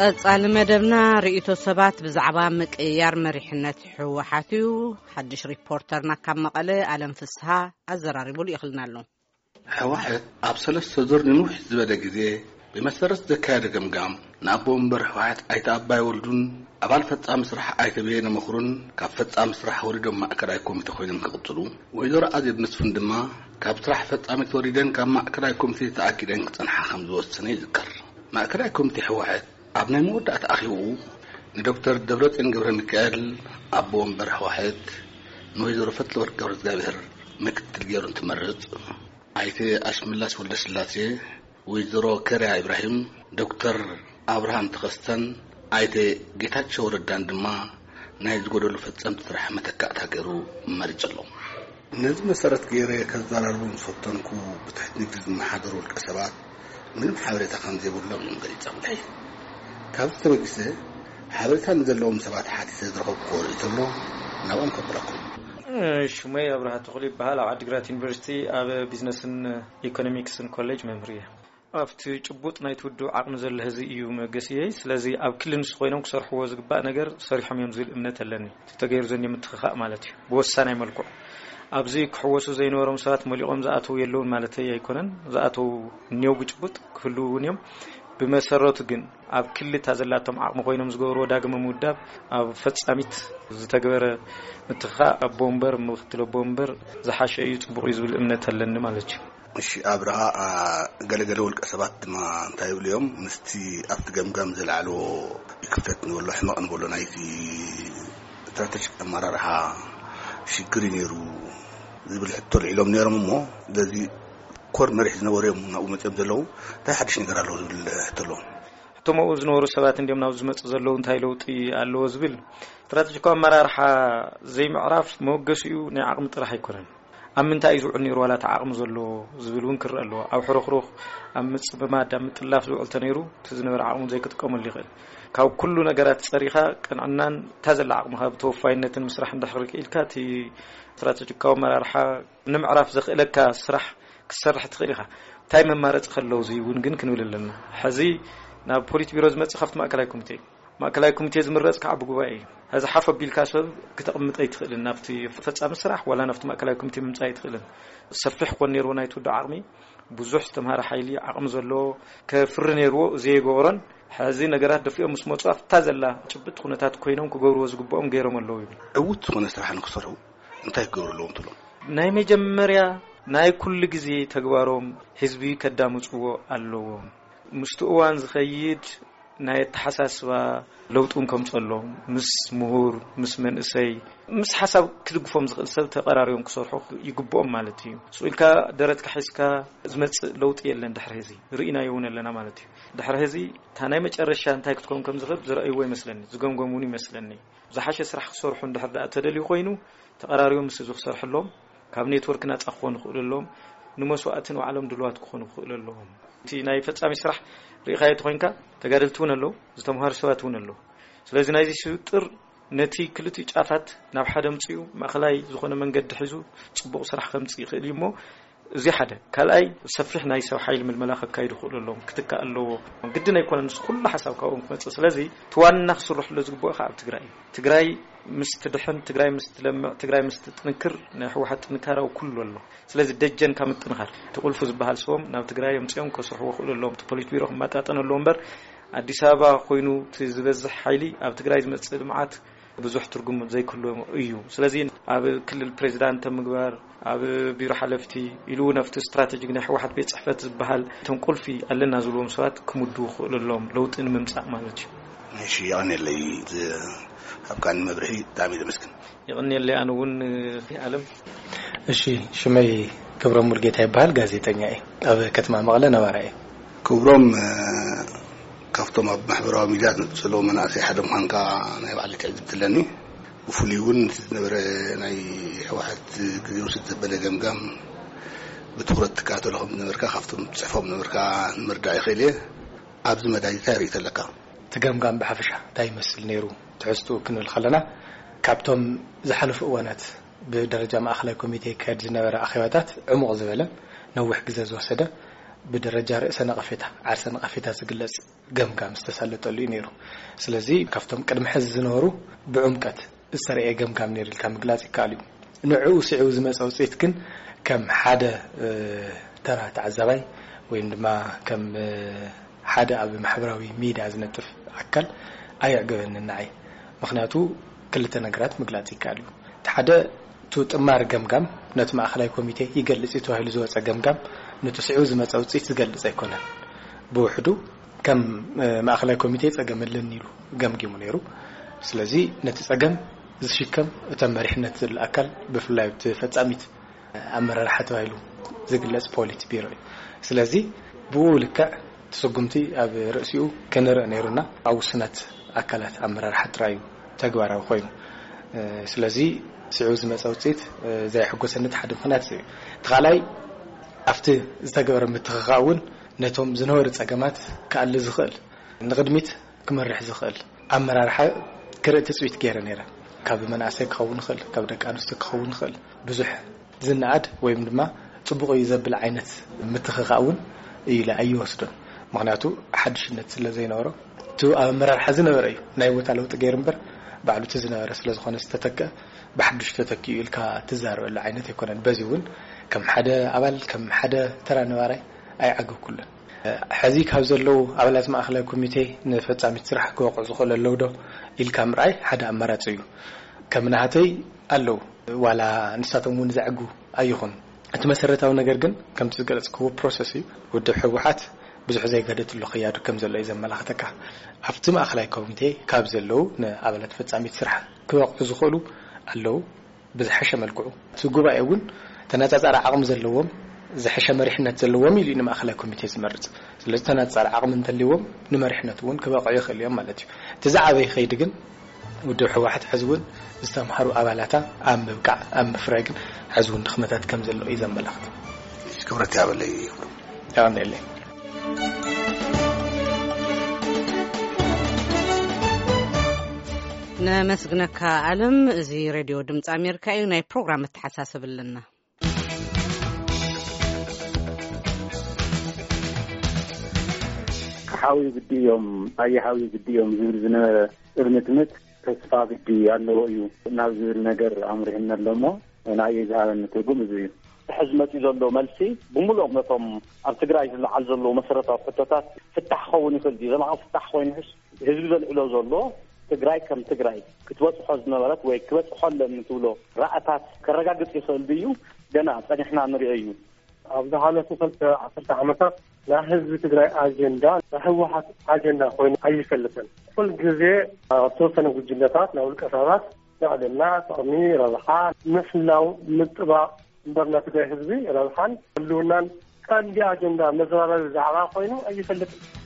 ቀጻሊ መደብና ርእይቶ ሰባት ብዛዕባ ምቅይያር መሪሕነት ህወሓት እዩ። ሓድሽ ሪፖርተርና ካብ መቐለ ኣለም ፍስሃ ኣዘራሪቡ ልኢኽልና ኣሎ። ህወሓት ኣብ ሰለስተ ዙር ንንውሕ ዝበለ ግዜ ብመሰረት ዘካየደ ገምጋም፣ ንኣቦ ወንበር ህወሓት ኣይተ ኣባይ ወልዱን ኣባል ፈጻሚ ስራሕ ኣይተ በየነ መኽሩን ካብ ፈጻሚ ስራሕ ወሪዶም ማእከላይ ኮሚቴ ኮይኖም ክቕጽሉ፣ ወይዘሮ ኣዜብ መስፍን ድማ ካብ ስራሕ ፈጻሚት ወሪደን ካብ ማእከላይ ኮሚቴ ተኣጊደን ክጸንሓ ከም ዝወሰነ ይዝከር። ማእከላይ ኮሚቴ ህወሓት ኣብ ናይ መወዳእታ ኣኼባኡ ንዶክተር ደብረጽዮን ገብረ ሚካኤል ኣቦ ወንበር ህወሓት፣ ንወይዘሮ ፈትለወርቅ ገብረ እግዚኣብሔር ምክትል ገይሩ እንትመርጽ፣ ኣይተ ኣሽመላሽ ወልደስላሴ፣ ወይዘሮ ከርያ ኢብራሂም፣ ዶክተር ኣብርሃም ተኸስተን ኣይተ ጌታቸው ረዳን ድማ ናይ ዝጎደሉ ፈጸምቲ ስራሕ መተካእታ ገይሩ መሪጹ ኣሎ። ነዚ መሰረት ገይረ ከዘራርቦም ዝፈተንኩ ብትሕቲ ንግዲ ዝመሓደሩ ውልቀ ሰባት ምንም ሓበሬታ ከም ዘይብሎም እዮም ገሊጾምለይ። ካብዚ ተበጊሰ ሓበሬታ ንዘለዎም ሰባት ሓቲተ ዝረኸብኩዎ ርእይቶ ኣሎ፣ ናብኦም ከብረኩም። ሽመይ ኣብርሃ ተኽሉ ይበሃል። ኣብ ዓዲግራት ዩኒቨርሲቲ ኣብ ቢዝነስን ኢኮኖሚክስን ኮሌጅ መምህር እየ። ኣብቲ ጭቡጥ ናይቲ ውድብ ዓቕሚ ዘሎ ህዝቢ እዩ መገሲየይ። ስለዚ ኣብ ክሊ ንሱ ኮይኖም ክሰርሕዎ ዝግባእ ነገር ሰሪሖም እዮም ዝብል እምነት ኣለኒ። እቲ ተገይሩ ዘሎ ምትኽኻእ ማለት እዩ። ብወሳናይ መልክዑ ኣብዚ ክሕወሱ ዘይነበሮም ሰባት መሊቖም ዝኣተው የለውን ማለተይ ኣይኮነን። ዝኣተው እኒው ብጭቡጥ ክህልው እውን እዮም። ብመሰረቱ ግን ኣብ ክሊ እታ ዘላቶም ዓቕሚ ኮይኖም ዝገበርዎ ዳግመ ምውዳብ ኣብ ፈጻሚት ዝተግበረ ምትኽኻእ ኣቦ ወንበር ምክትል ኣቦ ወንበር ዝሓሸ እዩ፣ ጽቡቕ እዩ ዝብል እምነት ኣለኒ ማለት እዩ። እሺ ኣብርሃ፣ ገለገለ ውልቀ ሰባት ድማ እንታይ ይብሉ እዮም? ምስቲ ኣብቲ ገምጋም ዘልዓልዎ ክፍተት ንበሎ ሕመቕ ንበሎ ናይቲ ስትራተጂክ ኣመራርሓ ሽግር እዩ ነይሩ ዝብል ሕቶ ኣልዒሎም ነይሮም። እሞ በዚ ኮር መሪሕ ዝነበሩ እዮም ናብኡ መፅኦም ዘለዉ እንታይ ሓድሽ ነገር ኣለዎ ዝብል ሕቶ ኣለዎም። እቶም ኣብኡ ዝነበሩ ሰባት እንዲም ናብ ዝመፁ ዘለዉ እንታይ ለውጢ ኣለዎ ዝብል ስትራተጂካዊ ኣመራርሓ ዘይምዕራፍ መወገሲኡ ናይ ዓቕሚ ጥራሕ ኣይኮነን። ኣብ ምንታይ እዩ ዝውዕል ነይሩ ዋላ እቲ ዓቕሚ ዘሎ ዝብል እውን ክረአ ኣለዎ። ኣብ ሕርኽሩኽ ኣብ ምፅምማድ ኣብ ምጥላፍ ዝውዕል ተነይሩ እቲ ዝነበረ ዓቕሙ ዘይክጥቀመሉ ይኽእል። ካብ ኩሉ ነገራት ፀሪኻ ቅንዕናን እታ ዘላ ዓቕምኻ ብተወፋይነትን ምስራሕ እንድሕር ክኢልካ እቲ ስትራተጂካዊ ኣመራርሓ ንምዕራፍ ዘኽእለካ ስራሕ ክትሰርሕ ትኽእል ኢኻ። እንታይ መማረፂ ከለዉ እዚ እውን ግን ክንብል ኣለና። ሕዚ ናብ ፖሊት ቢሮ ዝመፅእ ካብቲ ማእከላይ ኮሚቴ እዩ። ማእከላይ ኮሚቴ ዝምረፅ ከዓ ብጉባኤ እዩ። ሕዚ ሓፍ ኣቢልካ ሰብ ክተቕምጥ ኣይትኽእልን። ናብቲ ፈፃሚ ስራሕ ዋላ ናብቲ ማእከላይ ኮሚቴ ምምፃእ ኣይትኽእልን። ሰፊሕ ኮን ነይርዎ ናይቲ ውድብ ዓቕሚ ብዙሕ ዝተምሃረ ሓይሊ ዓቕሚ ዘለዎ ከፍሪ ነይርዎ፣ ዘይገበሮን ሕዚ ነገራት ደፊኦም ምስ መፁ ኣብታ ዘላ ጭብጥ ኩነታት ኮይኖም ክገብርዎ ዝግብኦም ገይሮም ኣለዉ ይብል። ዕዉት ዝኾነ ስራሕ ንክሰርሑ እንታይ ክገብሩ ኣለዎም ትብሎም? ናይ መጀመርያ ናይ ኩሉ ግዜ ተግባሮም ህዝቢ ከዳምፅዎ ኣለዎም። ምስቲ እዋን ዝኸይድ ናይ ኣተሓሳስባ ለውጥን ከምፀሎም ምስ ምሁር ምስ መንእሰይ ምስ ሓሳብ ክድግፎም ዝኽእል ሰብ ተቐራሪቦም ክሰርሑ ይግብኦም ማለት እዩ። ስኢልካ ደረትካ ሒዝካ ዝመፅእ ለውጢ የለን። ድሕሪ ህዚ ርኢናዮ እውን ኣለና ማለት እዩ። ድሕሪ ህዚ እታ ናይ መጨረሻ እንታይ ክትከውን ከም ዝኽእል ዝረእይዎ ይመስለኒ፣ ዝገምገም እውን ይመስለኒ። ዝሓሸ ስራሕ ክሰርሑ እንድሕር ደኣ ተደልዩ ኮይኑ ተቐራሪቦም ምስ ህዝቢ ክሰርሑ ኣለዎም። ካብ ኔትወርክ ናፃ ክኾኑ ይኽእሉ ኣለዎም። ንመስዋእቲ ንባዕሎም ድልዋት ክኾኑ ይኽእሉ ኣለዎም። እቲ ናይ ፈፃሚ ስራሕ ርኢኻዮ ተኾይንካ ተጋደልቲ እውን ኣለዉ፣ ዝተምሃሩ ሰባት እውን ኣለዉ። ስለዚ ናይዚ ስውጥር ነቲ ክልቲኡ ጫፋት ናብ ሓደ ኣምጺኡ ማእኸላይ ዝኾነ መንገዲ ሒዙ ጽቡቕ ስራሕ ከምጽእ ይኽእል እዩ እሞ እዚ ሓደ። ካልኣይ ሰፊሕ ናይ ሰብ ሓይሊ ምልመላ ከካይዱ ይኽእሉ ኣለዎም፣ ክትካእ ኣለዎ። ግድን ኣይኮነን ንሱ ኩሉ ሓሳብ ካብኦም ክመጽእ። ስለዚ እቲ ዋና ክስርሕሎ ዝግብኦ ከዓ ኣብ ትግራይ እዩ። ትግራይ ምስ ትድሕን፣ ትግራይ ምስ ትለምዕ፣ ትግራይ ምስ ትጥንክር ናይ ህወሓት ጥንካረ ኣብ ኩሉ ኣሎ። ስለዚ ደጀን ካብ ምጥንኻር እቲ ቁልፉ ዝበሃል ሰቦም ናብ ትግራይ ኣምጺኦም ከስርሕዎ ይኽእሉ ኣለዎም። እቲ ፖሊት ቢሮ ክመጣጠን ኣለዎ እምበር ኣዲስ ኣበባ ኮይኑ እቲ ዝበዝሕ ሓይሊ ኣብ ትግራይ ዝመጽእ ልምዓት ብዙሕ ትርጉም ዘይክህልዎ እዩ። ስለዚ ኣብ ክልል ፕሬዚዳንት ምግባር፣ ኣብ ቢሮ ሓለፍቲ ኢሉ እውን ኣብቲ ስትራተጂክ ናይ ህወሓት ቤት ጽሕፈት ዝበሃል እቶም ቁልፊ ኣለና ዝብልዎም ሰባት ክምድቡ ክኽእሉ ኣለዎም ለውጢ ንምምጻእ ማለት እዩ። እሺ፣ የቐንየለይ። እዚ ሃብካኒ መብርሂ ብጣዕሚ እየ ዘመስግን። የቐንየለይ ኣነ እውን። ኣለም። እሺ፣ ሽመይ ክብሮም ሙልጌታ ይበሃል፣ ጋዜጠኛ እየ። ኣብ ከተማ መቐለ ነባራይ እየ። ክብሮም፣ እ፣ ካብቶም ኣብ ማሕበራዊ ሚድያ ዝነጥፉ ዘለዉ መናእሰይ ሓደ ምዃንካ ናይ ባዕለይ ትዕዝብቲ ኣለኒ። ብፍሉይ እውን እቲ ዝነበረ ናይ ህወሓት ግዜ ውስድ ዘበለ ገምጋም ብትኹረት ትከታተሎ ከም ዝነበርካ ካብቶም ትጽሕፎም ነበርካ ንምርዳእ ይኽእል እየ። ኣብዚ መዳይ እንታይ ርእይቶ ኣለካ? እቲ ገምጋም ብሓፈሻ እንታይ ይመስል ነይሩ? ትሕዝትኡ ክንብል ከለና፣ ካብቶም ዝሓለፉ እዋናት ብደረጃ ማእኸላይ ኮሚቴ ይካየድ ዝነበረ ኣኼባታት ዕሙቕ ዝበለ፣ ነዊሕ ግዜ ዝወሰደ፣ ብደረጃ ርእሰ ነቐፌታ፣ ዓርሰ ነቐፌታ ዝግለጽ ገምጋም ዝተሳለጠሉ እዩ ነይሩ። ስለዚ ካብቶም ቅድሚ ሕዚ ዝነበሩ ብዕምቀት ዝተረኤ ገምጋም ነይሩ ኢልካ ምግላጽ ይከኣል እዩ። ንዕኡ ስዒቡ ዝመጸ ውጽኢት ግን ከም ሓደ፣ እ፣ ተራ ተዓዛባይ ወይም ድማ ከም፣ እ፣ ሓደ ኣብ ማሕበራዊ ሚድያ ዝነጥፍ ኣካል ኣየዕገበንን ንዓይ። ምኽንያቱ ክልተ ነገራት ምግላጽ ይከኣል እዩ። እቲ ሓደ፣ እቲ ጥማር ገምጋም ነቲ ማእኸላይ ኮሚቴ ይገልጽ እዩ ተባሂሉ ዝወጸ ገምጋም ነቲ ስዒቡ ዝመጸ ውጽኢት ዝገልጽ ኣይኮነን። ብውሕዱ ከም፣ እ፣ ማእኸላይ ኮሚቴ ጸገም ኣለኒ ኢሉ ገምጊሙ ነይሩ። ስለዚ ነቲ ጸገም ዝሽከም እቶም መሪሕነት ዘሎ ኣካል ብፍላይ እቲ ፈጻሚት ኣመራርሓ ተባሂሉ ዝግለጽ ፖሊት ቢሮ እዩ። ስለዚ ብኡ ልክዕ እቲ ስጉምቲ ኣብ ርእሲኡ ክንርኢ ነይሩና ኣብ ውሱናት ኣካላት ኣመራርሓ ጥራይ እዩ ተግባራዊ ኮይኑ። እ፣ ስለዚ ስዒቡ ዝመጸ ውጽኢት፣ እ፣ ዘየሐጎሰኒ እቲ ሓደ ምኽንያት እዚ እዩ። እቲ ካልኣይ ኣብቲ ዝተገበረ ምትኽኻእ እውን ነቶም ዝነበሩ ጸገማት ክኣሊ ዝኽእል ንቕድሚት ክመርሕ ዝኽእል ኣመራርሓ ክርኢ ትጽቢት ገይረ ነይረ። ካብ መናእሰይ ክኸውን ይኽእል፣ ካብ ደቂ ኣንስትዮ ክኸውን ይኽእል። ብዙሕ ዝነኣድ ወይም ድማ ጽቡቕ እዩ ዘብል ዓይነት ምትኽኻእ እውን ኢለ ኣይወስዶን። ምኽንያቱ ሓድሽነት ስለ ዘይነበሮ፣ እቲ ኣብ ኣመራርሓ ዝነበረ እዩ ናይ ቦታ ለውጢ ገይሩ እምበር፣ ባዕሉ እቲ ዝነበረ ስለ ዝኾነ ዝተተክአ ብሓድሽ ተተኪኡ ኢልካ ትዛረበሉ ዓይነት ኣይኮነን። በዚ እውን ከም ሓደ ኣባል፣ ከም ሓደ ተራ ነባራይ ኣይዓገኩሉን። ሕዚ ካብ ዘለዉ ኣባላት ማእኸላይ ኮሚቴ ንፈጻሚት ስራሕ ክበቕዑ ዝኽእሉ ኣለዉ ዶ ኢልካ ምርኣይ ሓደ ኣማራጺ እዩ። ከም ናህተይ ኣለዉ፣ ዋላ ንሳቶም እውን ዘዕጉ ኣይኹን። እቲ መሰረታዊ ነገር ግን ከምቲ ዝገለጽክዎ ፕሮሰስ እዩ። ውድብ ህወሓት ብዙሕ ዘይገደትሉ ክያዱ ከም ዘሎ እዩ ዘመላኽተካ። ኣብቲ ማእኸላይ ኮሚቴ ካብ ዘለዉ ንኣባላት ፈጻሚት ስራሕ ክበቕዑ ዝኽእሉ ኣለዉ። ብዝሐሸ መልክዑ እቲ ጉባኤ እውን ተነጻጻሪ ዓቕሚ ዘለዎም፣ ዝሐሸ መሪሕነት ዘለዎም ኢሉ እዩ ንማእኸላይ ኮሚቴ ዝመርጽ። ስለዚ ተነጻጻሪ ዓቕሚ እንተልይዎም ንመሪሕነት እውን ክበቕዑ ይኽእሉ እዮም ማለት እዩ። እቲ ዝዓበየ ከይዲ ግን ውድብ ህወሓት ሕዚ እውን ዝተምሃሩ ኣባላታ ኣብ ምብቃዕ፣ ኣብ ምፍራይ ግን ሕዚ እውን ድኽመታት ከም ዘሎ እዩ ዘመላኽት። ክብረት ያበለይ ይኽብሩ። የቐንየለይ። ነመስግነካ ኣለም። እዚ ሬድዮ ድምፂ ኣሜሪካ እዩ። ናይ ፕሮግራም መተሓሳሰብ ኣለና። ሓዊ ግዲ እዮም፣ ኣየ ሓዊ ግዲ እዮም ዝብል ዝነበረ እርምትምት ተስፋ ግዲ ኣለዎ እዩ ናብ ዝብል ነገር ኣምሪሕና ኣሎ እሞ፣ ንኣየ ዝሃበኒ ትርጉም እዚ እዩ። ሕዚ መፂኡ ዘሎ መልሲ ብምሉኦም ነቶም ኣብ ትግራይ ዝለዓል ዘለዉ መሰረታዊ ሕቶታት ፍታሕ ክኸውን ይኽእል ድዩ? ዘላቒ ፍታሕ ኮይኑስ ህዝቢ ዘልዕሎ ዘሎ ትግራይ ከም ትግራይ ክትበፅሖ ዝነበረት ወይ ክበፅሖ ኣለኒ ትብሎ ራእታት ከረጋግፅ ይኽእል ድዩ? ገና ፀኒሕና ንሪኦ እዩ። ኣብ ዝሓለፉ ክልተ ዓሰርተ ዓመታት ናይ ህዝቢ ትግራይ ኣጀንዳ ናይ ህወሓት ኣጀንዳ ኮይኑ ኣይፈልጥን። ኩል ግዜ ኣብ ተወሰነ ጉጅለታት ናይ ውልቀ ሰባት ልዕልና፣ ጥቕሚ፣ ረብሓ፣ ምሕላው፣ ምጥባቕ እምበር ናይ ትግራይ ህዝቢ ረብሓን ህልውናን ቀንዲ ኣጀንዳ መዘራረቢ ዛዕባ ኮይኑ ኣይፈልጥን።